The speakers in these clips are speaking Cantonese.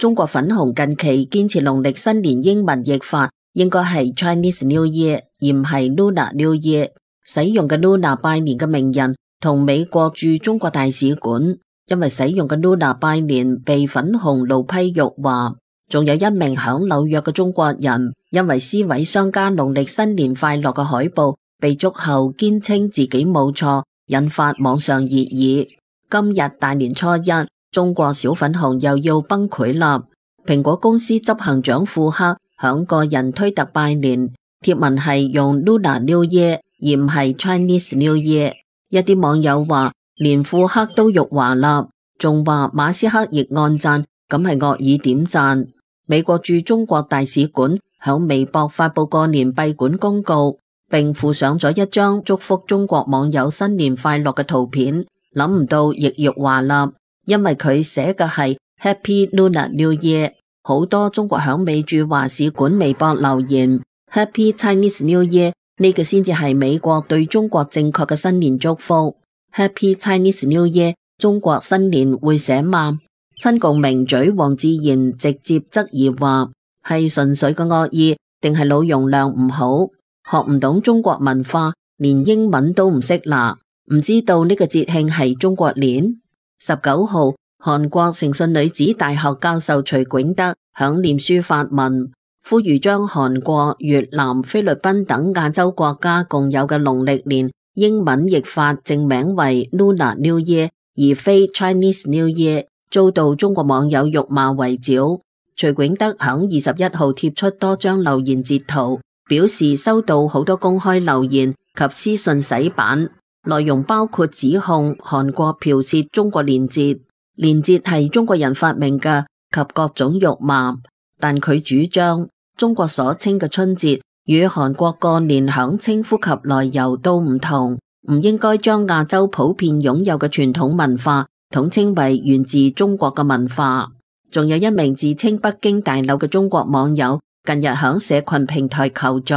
中國粉紅近期堅持農曆新年英文譯法應該係 Chinese New Year 而唔係 Lunar New Year， 使用嘅 Lunar 拜年嘅名人同美國駐中國大使館，因為使用嘅 Lunar 拜年被粉紅怒批辱華。仲有一名響紐約嘅中國人，因為撕毀商家農曆新年快樂嘅海報，被捉後堅稱自己冇錯，引發網上熱議。今日大年初一，中國小粉紅又要崩潰啦！蘋果公司執行長庫克響個人推特拜年，貼文係用 Lunar New Year 而唔係 Chinese New Year。一啲網友話連庫克都辱華啦，仲話馬斯克亦按讚，咁係惡意點讚。美國駐中國大使館響微博發佈過年閉館公告，並附上咗一張祝福中國網友新年快樂嘅圖片。諗唔到亦辱華啦，因為佢寫嘅係 Happy Lunar New Year。好多中國響美駐華使館微博留言 Happy Chinese New Year， 呢個先至係美國對中國正確嘅新年祝福。Happy Chinese New Year， 中國新年會寫嗎？親共名嘴王自然直接質疑話係純粹嘅惡意，定係腦容量唔好，學唔懂中國文化，連英文都唔識啦，唔知道呢個節慶係中國年。19號，韓國誠信女子大學教授徐景德響臉書發文，呼籲將韓國、越南、菲律賓等亞洲國家共有嘅農曆年英文譯法正名為 Lunar New Year， 而非 Chinese New Year，遭到中國網友辱罵圍剿。徐景德響21號貼出多張留言截圖，表示收到好多公開留言及私信洗版，內容包括指控韓國剽竊中國年節，年節係中國人發明嘅及各種辱罵。但佢主張中國所稱嘅春節與韓國過年響稱呼及來由都唔同，唔應該將亞洲普遍擁有嘅傳統文化統稱為源自中國嘅文化。仲有一名自稱北京大劉嘅中國網友近日響社群平台求助，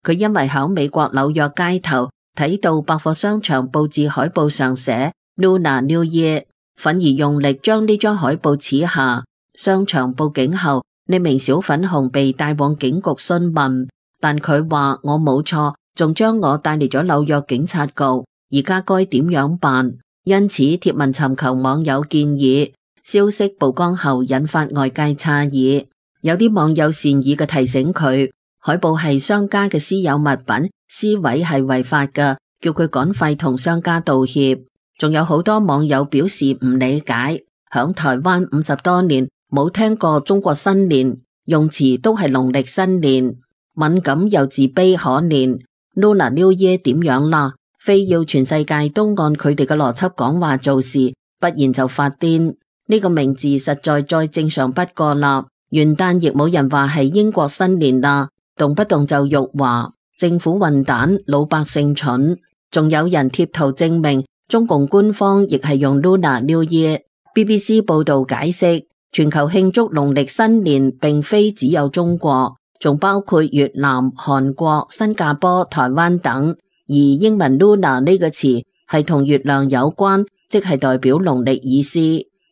佢因為響美國紐約街頭睇到百貨商場佈置海報上寫 Lunar New Year， 憤而用力將呢張海報撕下。商場報警後，呢名小粉紅被帶往警局詢問，但佢話我冇錯，仲將我帶嚟咗紐約警察局，而家該點樣辦？因此貼文尋求網友建議。消息曝光後引發外界詫異，有啲網友善意嘅提醒佢，海報係商家嘅私有物品，撕毀係違法嘅，叫佢趕快同商家道歉。仲有好多網友表示唔理解，響台灣50多年冇聽過中國新年，用詞都係農曆新年，敏感又自卑可憐。Lunar New Year 點樣啦？非要全世界都按佢哋嘅邏輯講話做事，不然就發癲。呢個名字實在再正常不過啦。元旦亦冇人話係英國新年啦，動不動就辱華，政府混蛋，老百姓蠢。仲有人貼圖證明中共官方亦係用 Lunar New Year。BBC 報道解釋，全球慶祝農曆新年並非只有中國，仲包括越南、韓國、新加坡、台灣等。而英文 Lunar 呢個詞係同月亮有關，即係代表農曆意思。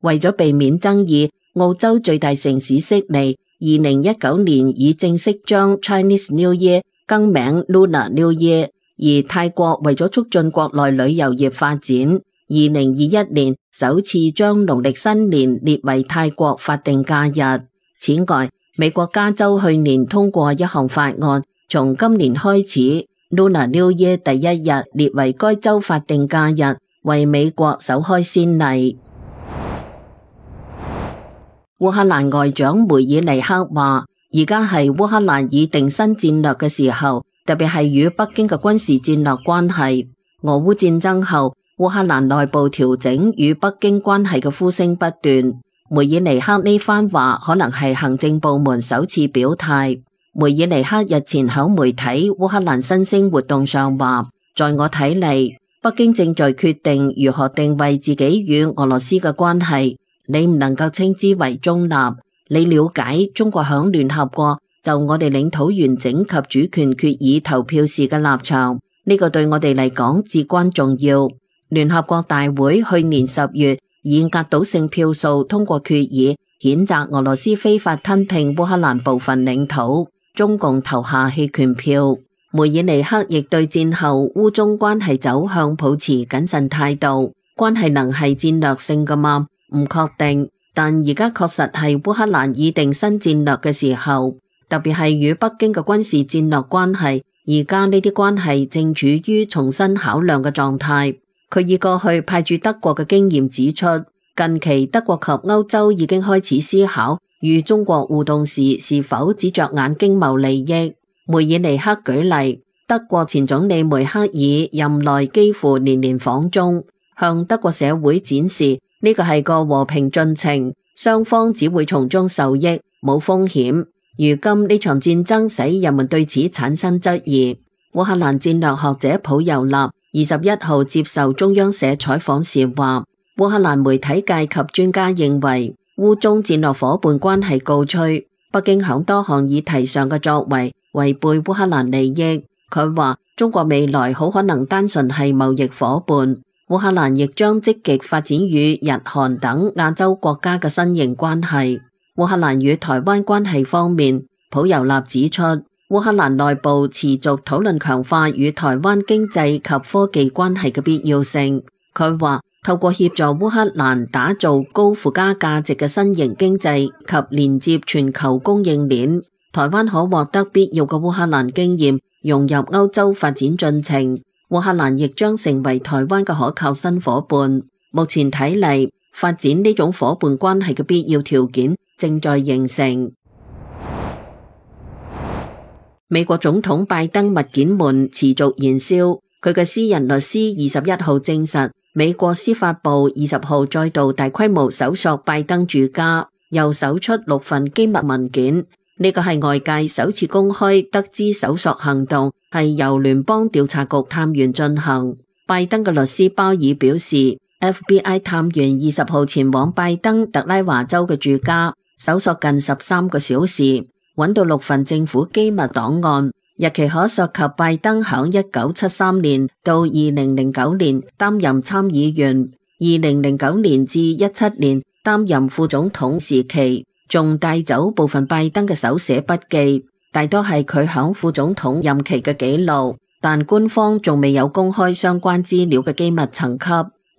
為咗避免爭議，澳洲最大城市悉尼2019年已正式將 Chinese New Year 更名 Lunar New Year， 而泰國為咗促進國內旅遊業發展，2021年首次將農曆新年列為泰國法定假日。此外，美國加州去年通過一項法案，從今年開始 Lunar New Year 第一日列為該州法定假日，為美國首開先例。烏克蘭外長梅爾尼克話，而家係烏克蘭擬定新戰略嘅時候，特別係與北京嘅軍事戰略關係。俄烏戰爭後，烏克蘭內部調整與北京關係嘅呼聲不斷。梅爾尼克呢番話可能係行政部門首次表態。梅爾尼克日前喺媒體烏克蘭新星活動上話，在我睇嚟，北京正在決定如何定位自己與俄羅斯嘅關係。你唔能夠稱之為中立，你了解中國響聯合國就我哋領土完整及主權決議投票時嘅立場，呢個對我哋嚟講至關重要。聯合國大會去年10月以壓倒性票數通過決議，譴責俄羅斯非法吞併烏克蘭部分領土，中共投下棄權票。梅爾尼克亦對戰後烏中關係走向抱持謹慎態度，關係能係戰略性㗎嘛？唔確定，但而家確實係烏克蘭擬定新戰略嘅時候，特別係與北京嘅軍事戰略關係，而家呢啲關係正處於重新考量嘅狀態。佢以過去派駐德國嘅經驗指出，近期德國及歐洲已經開始思考與中國互動時是否只着眼經貿利益。梅爾尼克舉例，德國前總理梅克爾任內幾乎年年訪中，向德國社會展示呢個係個和平進程，雙方只會從中受益，冇風險。如今呢場戰爭使人們對此產生質疑。烏克蘭戰略學者普尤納21號接受中央社採訪時話，烏克蘭媒體界及專家認為烏中戰略夥伴關係告吹，北京響多項議題上嘅作為違背烏克蘭利益。佢話中國未來好可能單純係貿易夥伴，烏克蘭亦將積極發展與日韓等亞洲國家嘅新型關係。烏克蘭與台灣關係方面，普尤納指出，烏克蘭內部持續討論強化與台灣經濟及科技關係嘅必要性。佢話透過協助烏克蘭打造高附加價值嘅新型經濟及連接全球供應鏈，台灣可獲得必要嘅烏克蘭經驗，融入歐洲發展進程。烏克蘭亦將成為台灣嘅可靠新夥伴。目前睇嚟，發展呢種夥伴關係嘅必要條件正在形成。美國總統拜登物件們持續燃燒，佢嘅私人律師21號證實，美國司法部20號再度大規模搜索拜登住家，又搜出6份機密文件。呢個係外界首次公開得知搜索行動係由聯邦調查局探員進行。拜登嘅律師鮑爾表示，FBI 探員20號前往拜登特拉華州嘅住家，搜索近13個小時，揾到6份政府機密檔案，日期可溯及拜登響1973年到2009年擔任參議員，2009年至17年擔任副總統時期，仲帶走部分拜登嘅手寫筆記，大多係佢響副總統任期嘅記錄，但官方仲未有公開相關資料嘅機密層級。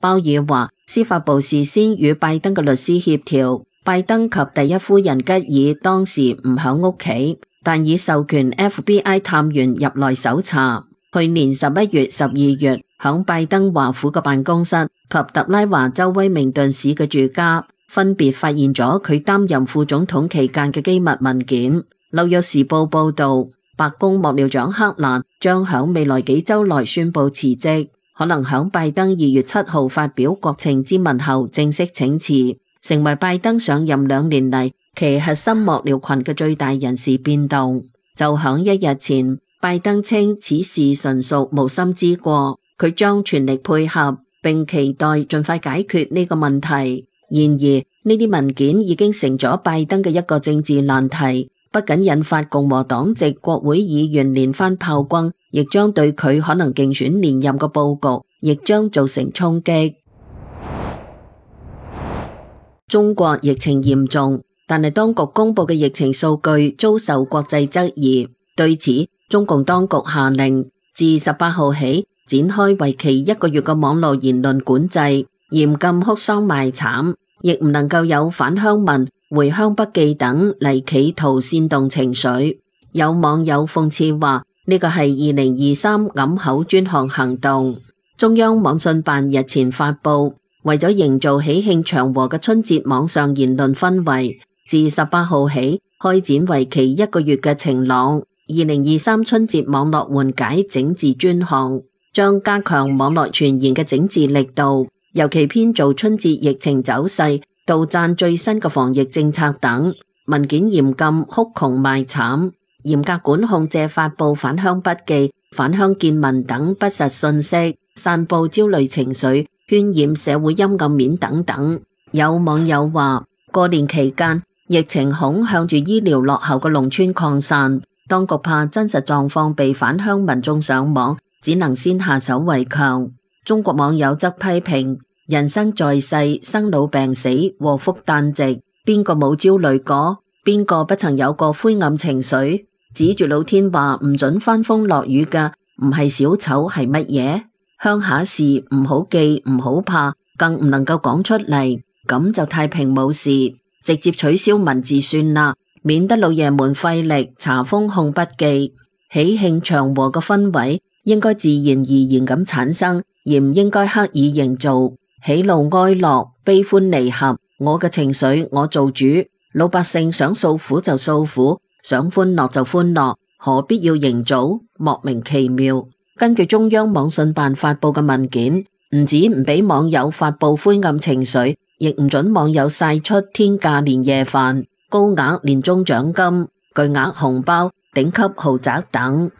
鮑爾話，司法部事先與拜登嘅律師協調，拜登及第一夫人吉爾當時唔響屋企，但已授權 FBI 探員入內搜查。去年11月、12月，響拜登華府嘅辦公室及特拉華州威明頓市嘅住家，分別發現咗佢擔任副總統期間嘅機密文件。紐約時報報道，白宮幕僚長克蘭將響未來幾週內宣布辭職，可能響拜登2月7號發表國情咨文後正式請辭，成為拜登上任2年嚟其核心幕僚群嘅最大人事變動。就響1日前，拜登稱此事純屬無心之過，佢將全力配合，並期待盡快解決呢個問題。然而，呢啲文件已經成咗拜登嘅一個政治難題，不僅引發共和黨籍國會議員連番炮轟，亦將對佢可能競選連任嘅佈局，亦將造成衝擊。中國疫情嚴重，但係當局公布嘅疫情數據遭受國際質疑。對此，中共當局下令自18號起展開為期1個月嘅網絡言論管制，嚴禁哭喪賣慘，亦唔能夠有返鄉文、回鄉筆記等嚟企圖煽動情緒。有網友諷刺話，呢個係2023揞口專項行動。中央網信辦日前發布，為咗營造喜慶祥和嘅春節網上言論氛圍，自18號起開展為期1個月嘅晴朗2023春節網絡緩解整治專項，將加強網絡傳言嘅整治力度，尤其編造春節疫情走勢、杜撰最新嘅防疫政策等文件，嚴禁哭窮賣慘，嚴格管控借發布返鄉筆記、返鄉見聞等不實信息，散布焦慮情緒、渲染社會陰暗面等等。有網友話，過年期間疫情恐向住醫療落後嘅農村擴散，當局怕真實狀況被返鄉民眾上網，只能先下手為強。中國網友則批評，人生在世，生老病死，禍福旦夕，邊個冇焦慮過？邊個不曾有過灰暗情緒？指住老天話唔准翻風落雨嘅，唔係小丑係乜嘢？鄉下事唔好記，唔好怕，更唔能夠講出嚟，咁就太平無事，直接取消文字算啦，免得老爺們費力查封控筆記。喜慶祥和嘅氛圍應該自然而然咁產生，而唔應該刻意營造。喜怒哀樂、悲歡離合，我嘅情緒我做主，老百姓想訴苦就訴苦，想歡樂就歡樂，何必要營造？莫名其妙。根據中央網信辦發布嘅文件，唔止唔俾網友發布灰暗情緒，亦唔准網友晒出天價年夜飯、高額年終獎金、巨額紅包、頂級豪宅等。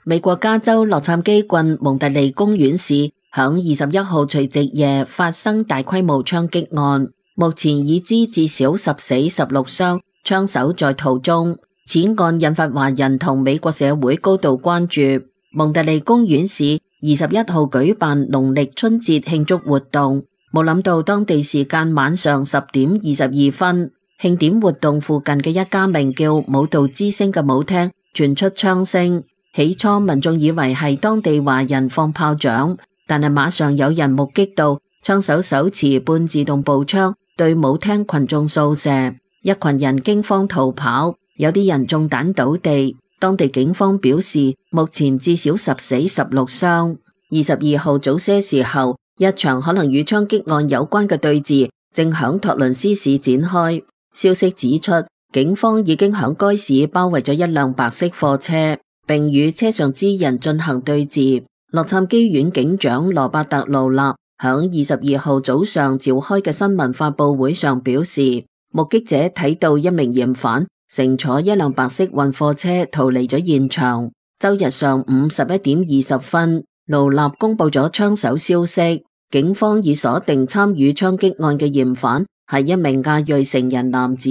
美國加州洛杉磯郡蒙特利公園市響21號除夕夜發生大規模槍擊案，目前已知至少10死16傷，槍手在逃中。此案引發華人同美國社會高度關注。蒙特利公園市21號舉辦農曆春節慶祝活動，冇諗到當地時間晚上10點22分，慶典活動附近嘅一家名叫舞蹈之星嘅舞廳傳出槍聲。起初民眾以為係當地華人放炮仗，但係馬上有人目擊到槍手手持半自動步槍對舞廳群眾掃射，一群人驚慌逃跑，有啲人中彈倒地。當地警方表示，目前至少10死16傷。22號早些時候，一場可能與槍擊案有關嘅對峙正響托倫斯市展開。消息指出，警方已經響該市包圍咗一輛白色貨車，並與車上之人進行對峙。洛杉磯縣警長羅伯特·勞納響22號早上召開嘅新聞發佈會上表示，目擊者睇到一名嫌犯乘坐一輛白色運貨車逃離咗現場。周日上午11點20分，勞納公布咗槍手消息，警方已鎖定參與槍擊案嘅嫌犯係一名亞裔成人男子，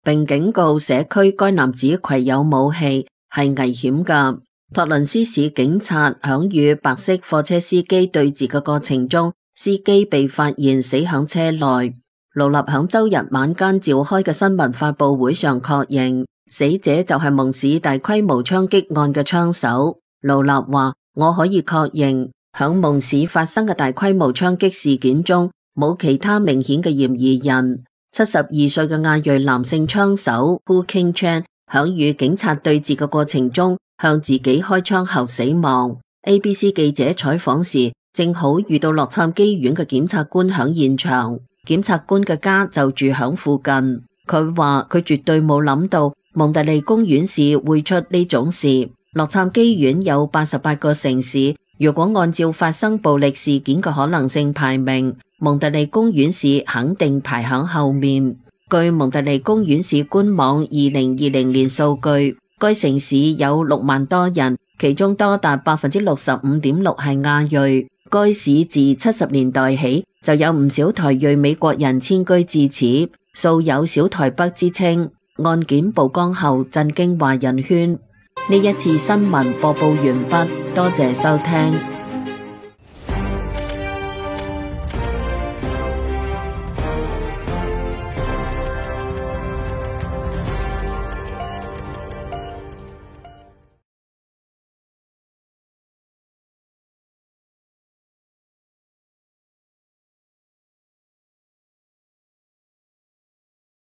並警告社區該男子攜有武器，係危險㗎。托倫斯市警察響與白色貨車司機對峙嘅過程中，司機被發現死響車內。勞納響周日晚間召開嘅新聞發佈會上確認，死者就係蒙市大規模槍擊案嘅槍手。勞納話：我可以確認，響蒙市發生嘅大規模槍擊事件中，冇其他明顯嘅嫌疑人。72歲嘅亞裔男性槍手 Hu King Chan 響與警察對峙嘅過程中，向自己開槍後死亡。ABC 記者採訪時，正好遇到洛杉磯縣嘅檢察官響現場。檢察官嘅家就住響附近，佢話佢絕對冇諗到蒙特利公園市會出呢種事。洛杉磯縣有88個城市，如果按照發生暴力事件嘅可能性排名，蒙特利公園市肯定排響後面。據蒙特利公園市官網2020年數據，該城市有6萬多人，其中多達 65.6% 係亞裔。該市自70年代起就有唔少台裔美國人遷居至此，素有小台北之稱。案件曝光後震驚華人圈。呢一次新聞播報完畢，多謝收聽。